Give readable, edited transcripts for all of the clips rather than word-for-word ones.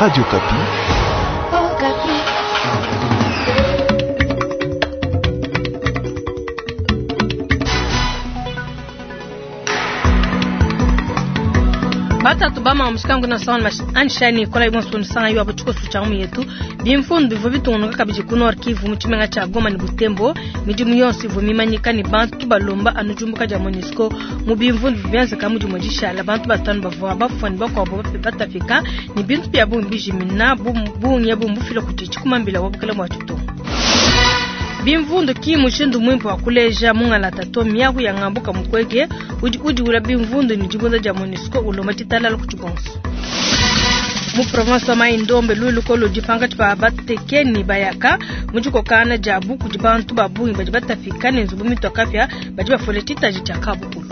Radio Okapi. Batatu bama mushikangu na sawan anshani kola ibon sun sanga yo abuchiko sucha mu yetu bimfundu bivua bitungunuka kabidi ku Nord Kivu mu tshimenga tshia Goma ne Butembo. Midimu yonso ivua mimanyika ne bantu balomba anu diumbuka dia MONUSCO mu bimvundu bivua bienzeka mu dimue dishala. Bantu batanu bavua bafua ne bakuabu batapika ne bintu bia bungi bijimina. Bungi ebu mbufila kudi tshikumambila wa bukole bua ditunga. Bimvundu ki mushindu muimpe wa kuleja mungalata to. Miaku ya ngambuka Mukwege udi udiwula bimvundu ne dibunda dia MONUSCO ulomba ditalala kudi bonso. Mu province wa Mai-Ndombe lulu ludi pankatshi pa bateke ne bayaka mu dikokana diabu kudi bantu ba bungi badi batapika ne nzubu mitua kapia badi bafuele tshitaji tshia kabukulu.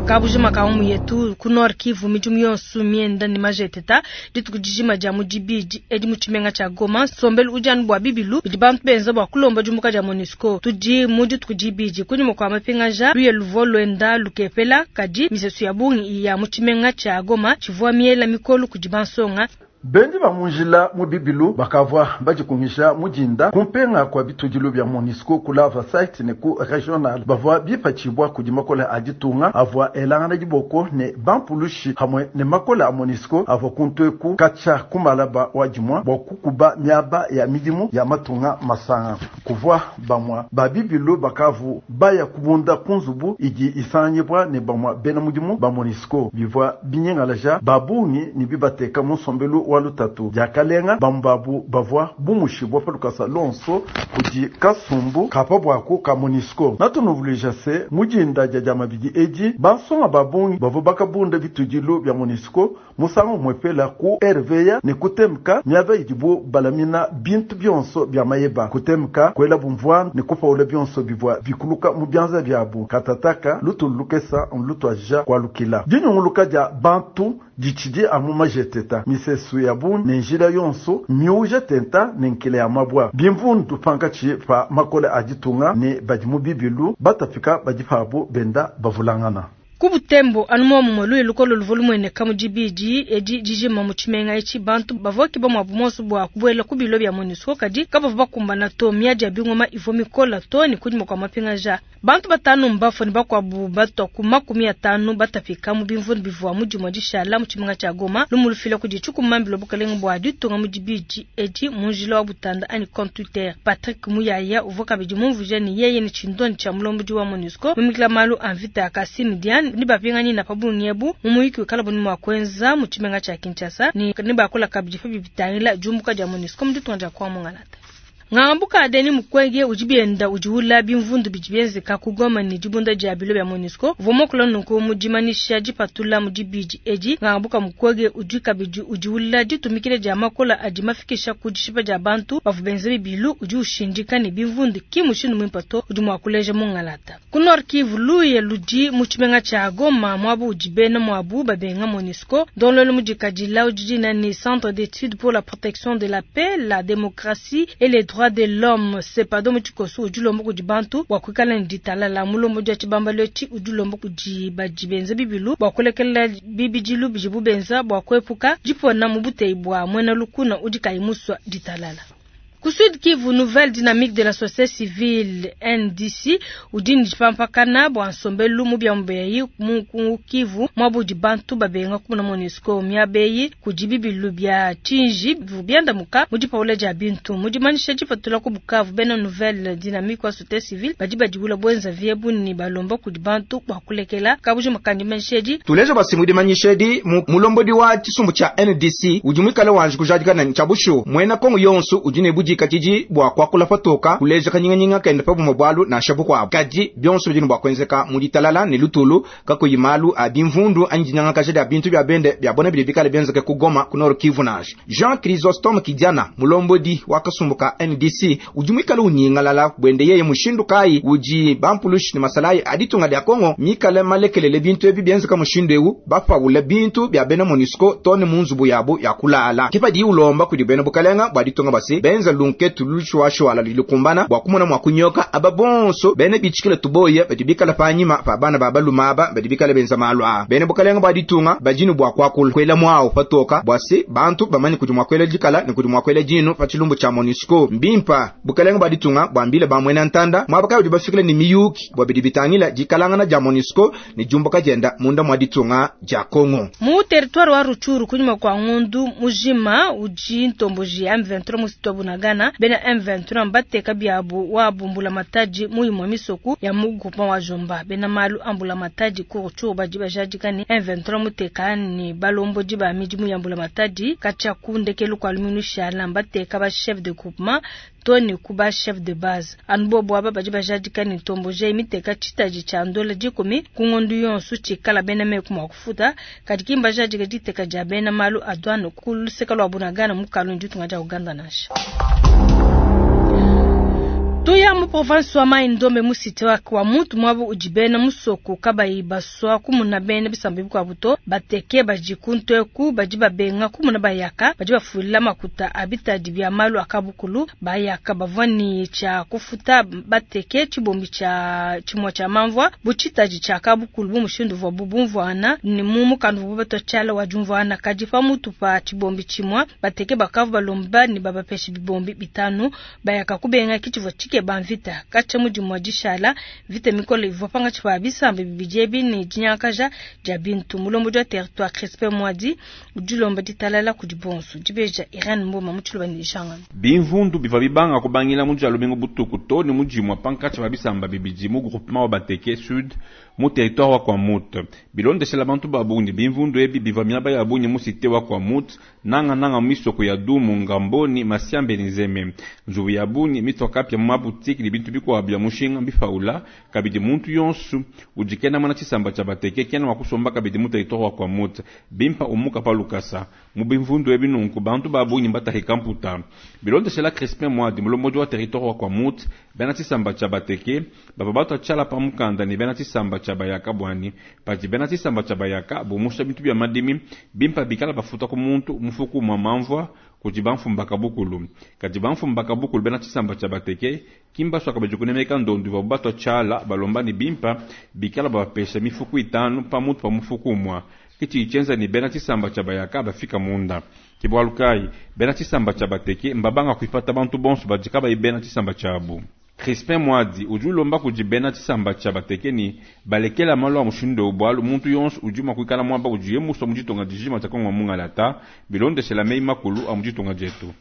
Kabujima ka mu yetu ku Nord Kivu midimu yonso mienda ne majeteta dituku dijima dia mu dibidi edi mu tshimenga tshia Goma. Nsombelu udi anu bua bibilu bidi bantu benza bua kulomba diumbuka dia MONUSCO. Tudi mu dituku dibidi kunyima kua mapingaja luye luvua luenda lukepela, kadi misesu ya bungi ya mu tshimenga tshia Goma tshivua miela mikolo kudi bansonga. Bendi ba mu njila mu bibilu bakavua badikungisha mu dinda kumpenga kua bitudilu bia MONUSCO ku lava site ne ku regional. Bavua bipatshibua kudi makole a ditunga avua elangana diboko ne bampulushi hamwe ne makole a MONUSCO avua kuntueku katshia kumalaba wa dimua bua kukuba miaba ya midimu ya matunga masanga. Kuvua bamua ba bibilu bakavu baya kubunda ku nzubu idi isanganyibwa ne bamua bena mudimu ba MONUSCO bivua binyengalaja ba bungi ne bibateka mu nsombelu wa lutatu. Diakalenga bambabu bavua bumushibwa pa lukasa lonso kudi kasumbu kapa bwaku ka MONUSCO. Natunuvuluija se mu dinda dia dia mabidi edi bansonga ba bungi bavua bakabunda bitudilu bia MONUSCO musangu umwepela ku RVA ne kutemka miaba idibu balamina bintu bionso bia mayeba. Kutemka kuela bumvua ne kupaula bionso bivua bikuluka mu bianza biabu. Katataka lutulu lukesa nlutuaja kualukila. Dinyunguluka dia bantu ditshidi amu majeteta misesu ya bungi ne njila yonso miuja tenta ne nkele ya mabwa. Bimvundu pankatshi pa makole a ditunga ne badi mu bibilu batapika badi pabu benda bavulangana. Ku Butembo anu muomumue luye lukolo luvua lumueneka mu dibidi edi dijima mu tshimenga etshi. Bantu bavua bakeba muabu muonso bua kubuela ku bilo bia MONUSCO kadi kabavua bakumbana to. Miadi ya bingoma ivua mikola to ne kunyima kua mapingaja. Bantu batanu mbafue ne bakuabu batua ku 50 batapika mu bimvundu bivua mu dimue dishala mu tshimenga tshia Goma. Lumu lufila kudi tshikumambila bukalenge bua ditunga mu dibidi edi mu njila wa Butanda anyi compte Twitter. Patrick Muyaya uvua kabidi mumvuija ne yeye ne tshindonyi tshia mulombodi wa MONUSCO mumikila malu a mvita ya Kassim Diane ne bapinganyina pa bungi ebu mu muyuki wikala buni mua kuenza mu tshimenga tshia Kinshasa ne nebakula kabidi pa bibitangila diumbuka dia MONUSCO mu ditunga dia Kongo Mungalata. Ngambuka Denis Mukwege udi bienda udiwula bimvundu bidi bienzeka ku Goma ne dibunda dia bilo bia MONUSCO. Uvua muakula nunku mu dimanyisha dipatula mu dibidi edi. Ngambuka Mukwege udi kabidi udiwula ditumikila dia makola adi mafikisha ku dishipa dia bantu bavua benza bibilu. Udi ushindika ne bimvundu ki mushindu muimpe to udi mua kuleja mungalata. Ku Nord Kivu luye ludi mu tshimenga tshia Goma muabu udi bena muabu babenga MONUSCO. Ndongoluelu mudikadila udi dina ne Centre d'études pour la protection de la paix, la démocratie et les droits de l'homme CEPADO mu tshikoso udi ulomba kudi bantu bua kuikala ne ditalala. Mulombo dia tshibambalu etshi udi ulomba kudi badi benza bibilu bua kulekela bibidilu bidibu benza bua kuepuka dipona mu buteyi bua muena lukuna udi kayi musua ditalala. Ku Sud Kivu, Nouvelle Dynamique de la Société Civile NDC udi ne dipampakana bua nsombelu mu biamu mu ku Kivu muabu udi bantu babenga kumona MONUSCO miaba eyi kudi bibilu bia tshinji bivua biandamuka mu dipaula dia bintu. Mu dimanyisha dipatula ku Bukavu, bena Nouvelle Dynamique wa Société Civile badi badiwula bwenza viebu ne balomba kudi bantu bua kulekela kabujima kandi manyisha edi. Tuleja basi mu dimanyisha edi mulombodi wa tshisumbu tshia NDC udi muikale wanji kujadikana ne tshia bushuwa muena Kongo yonso udi ne budi katshidi bua kuakula patoka kuleja kanyinganyinga kende pa bumwe bwalu nansha bukuabu. Kadi bionso bidi ne bua kuenzeka mu ditalala ne lutulu kakuyi malu a bimvundu anyi dinyangakaja dia bintu bia bende bia bona bidi bikale bienzeke ku Goma ku Nord Kivu nansha. Jean Chrysostome Kidiana mulombodi wa kasumbu ka NDC udi muikale unyingalala bwende yeye mushindu kayi udi bampulushi ne masalayi a ditunga dia Kongo mikale malekelele bintu ebi bienzeka mushindu ewu bapawula bintu bia bena MONUSCO to ne mu nzubu yabu ya kulala. Kipadi ulomba kudi bena bukalenga bua ditunga basi benza lunketu lushuashuala ludi lukumbana bua kumona mua kunyoka aba bonso bena bitshikila tuboya badi bikala panyima pa bana ba baluma aba badi bikala benza malu aa. Bena bukalenga bua ditunga badi ne bua kuakula kuela muawu patoka bua se bantu bamanye kudi mua kuela dikala ne kudi mua kuela dinu pa tshilumbu tshia MONUSCO. Mbimpa bukalenga bua ditunga buambile ba muena ntanda muaba kayi udi bafikile ne miyuki bua bidi bitangila dikalangana dia MONUSCO ne diumbuka dienda munda mua ditunga dia Congo. Mu territoire wa Rutshuru, kunyima kua ngondu mujima udi ntomboji ya M23 mu cité wa Bunagana, bena M23 mbateka biabu wabu mbulamatadi mu imue misoku ya mu groupement wa Jomba. Bena malu a mbulamatadi ku Rutshuru badi bajadika ne M23 muteka ne balombodi ba midimu ya mbulamatadi katshia ku ndekelu kua lumingu lushala, mbateka ba chef de groupement to ne ku ba chef de base. Anu bobo aba badi bajadika ne ntomboji miteka tshitadi tshia ndola 10 ku ngondu yonso tshikala bena meku mua kufuta, kadi ki mbajadika diteka dia bena malu a douane ku luseka lua Bunagana mu kalundu ditunga dia Uganda nansha. Tuya mu province wa Mai-Ndombe mu cité wa Kwamouth muaba udi bena musoko kabayi basua kumuna bena bisamba bikuabu to. Bateke badi ku nteku badi babenga kumuna bayaka badi bafuila makuta a bitadi bia malu a kabukulu. Bayaka bavua ne tshia kufuta bateke tshibombi tshia tshimue tshia mamvua bu tshitadi tshia kabukulu bu mushindu uvuabu bumvuana ne mu mukanda uvuabu batua tshiala wa diumvuana. Kadi pamutu pa tshibombi tshimue bateke bakavua balomba ne babapeshe bibombi 5. Bayaka kubenga kitshivua tshikeba mvita katshia mudimu wa dishala mvita mikole ivua pangatshi pa bisamba bibidi ebi ne dinyangakaja dia bintu. Mulombodi wa territoire Crispin Mwadi udi ulomba ditalala kudi bonso. Dibeja Irene Mboma mu tshiluba ne dishangana. Bimvundu bivua bibanga kubangila mu dia lumingu butuku to ne mudimua pankatshi pa bisamba bibidi mu groupement wa Bateke Sud mu territoire wa Kwamouth. Bilondeshela bantu ba bungi, bimvundu ebi bivua miaba ya bungi mu cité wa Kwamouth, nanga nanga misoko ya Dumu, Ngamboni, Masiambe ne Nzeme. Nzubu ya bungi mitoka pia mu mabutiki ne bintu bikuabu bia mushinga bipaula. Kabidi muntu yonso udi kena muena tshisamba tshia Bateke kena mua kusomba kabidi mu territoire wa Kwamouth. Bimpa umuka pa lukasa mu bimvundu ebi nunku bantu ba bungi mbatahika mputa. Bilondeshela Crispin Mwadi, mulombodi wa territoire wa Kwamouth, bena tshisamba tshia Bateke bava batua tshiala pa mukanda ne bena tshisamba tshia Bayaka bwani padi bena tshisamba tshia Bayaka bumusha bintu bia madimi bimpa bikala bafuta ku muntu mufuku mwa mamvua kudi bamfumu bukulu. Kadi bamfumu bukulu bena tshisamba tshia Bateke kimbaswaka badi kunemeka ndondu ivuabu batua tshiala balomba ne bimpa bikala babapesha mifuku 5 pamutu pa mufuku umua. Kitshi tshienza ne bena tshisamba tshia Bayaka bafika munda. Ke bualu kayi bena tshisamba tshia Bateke mbabanga kuipata bantu bonso badi kabayi bena tshisamba tshiabu. Crispin Mwadi udi ulomba kudi bena tshisamba tshia Bateke ne balekela malu a mushindu bualu muntu yonso udi mua kuikala muaba udiye musue mu ditunga dijima tshia Kongo mungalata bilondeshela meyi makulu a mu ditunga dietu.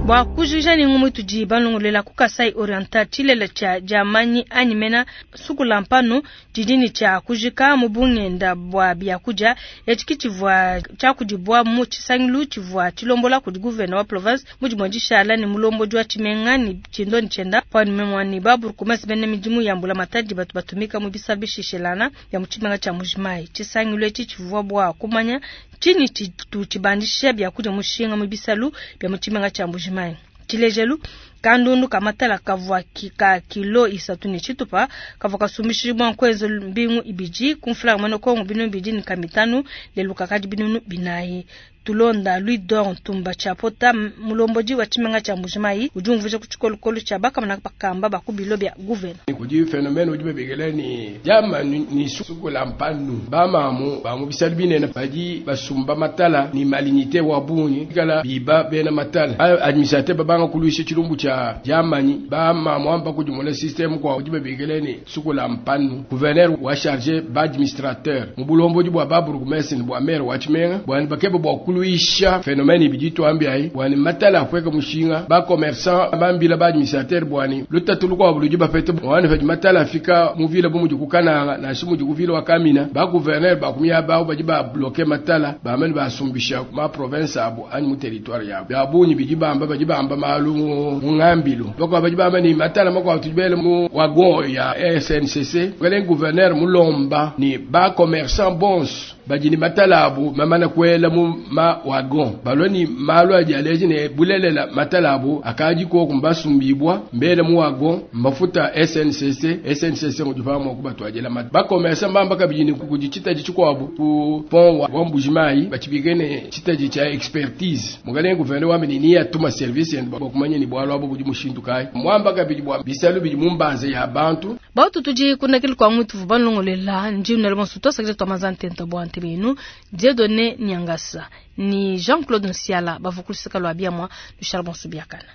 Bua kujikija ne ngumu itudi balongolola ku Kasai Oriental, tshilele tshia diamanyi anyi mena sukula mpanu didi ne tshia kujika mu bungenda bua biakudia. Etshi ki tshivua tshiakudibua mu tshisangilu tshivua tshilombola kudi gouverneur wa province mu dimue dishala ne mulombodi wa tshimenga ne tshindoni tshienda pamue ne ba bourgmestre bena midimu ya mbulamatadi batu batumika mu bisalu bishishelana bia mu tshimenga tshia Mbuji-Mayi. Tshisangilu etshi tshivua bua kumanya tshinyi tshitu tshibandisha biakudia mushinga mu bisalu bia mu tshimenga tshia Mbuji-Mayi. Tshilejelu, kandundu ka matala kavua ka kilo 3 ne tshitupa kavua kasumbishibua nkuenza mbingu 2 ku mfranga muena Kongo 250 lelu kakadi 400. Tulonda Louis Dor Ntumba Tshiapota, mulombodi wa tshimenga tshia Mbuji-Mayi, udi umvuija ku tshikolokolo tshia bakamana bakamba ba ku bilo bia gouverneur. Kudi phénomène udi babikila ne diama ni sukula mpanu. Bamamu ba mu bisalu binene badi basumba matala ni malignité wa bungi kala biba bena matala. Administrateur babanga kuluisha tshilumbu tshia diamanyi bamamu amba kudimona système kwa udi babikila ne sukula mpanu. Gouverneur wa chargé ba administrateur mu bulombodi bua ba bourgmestre ni bua maire wa tshimenga bua bakeba bua kuluisha phénomène ibidi tuambi ayi bua matala akweka mushinga ba commerçant bambila ba administrateur bua lutatu lukuabu ludi bapete bua padi matala afika mu ville bu mudi ku Kananga nansha mudi ku ville wa Kamina ba gouverneur bakumia bawo badi ba bloquer matala bamene basumbisha ma province abo anyi mu territoire yabo bia bungi bidi bamba badi bamba malu mu ngambilu bakwa badi bamba ni matala makwa tudibele mu wagon ya SNCC kale gouverneur mulomba ni ba commerçant bons. Badi ne matala abu mamana kuela mu ma wagon balua ne malu adi aleja ne bulelela matala abu akadi koku mbasumbibwa mbele mu wagon mbafuta SNCC. SNCC ngudi pamue kubatuadila mata. Bakomesa mbamba kabidi ne kudi tshitadi tshikuabu ku pont wa Mbujimayi batshibike ne tshitadi tshia expertise. Mukalenge gouverneur wambi ne niya tuma service yende bua kumanya ne bualu abu budi mushindu kayi. Mwamba kabidi bua bisalu bidi mu mbanza ya bantu. Bautu tudi kunakili kwa mwitu vubanlongolela ndi unele bonso twasakile twa mazantenta bua ntebenu Dieudonné Nyangasa ni Jean-Claude Nsiala bavukulisaka lwa biamwa Charles Bonso biakana.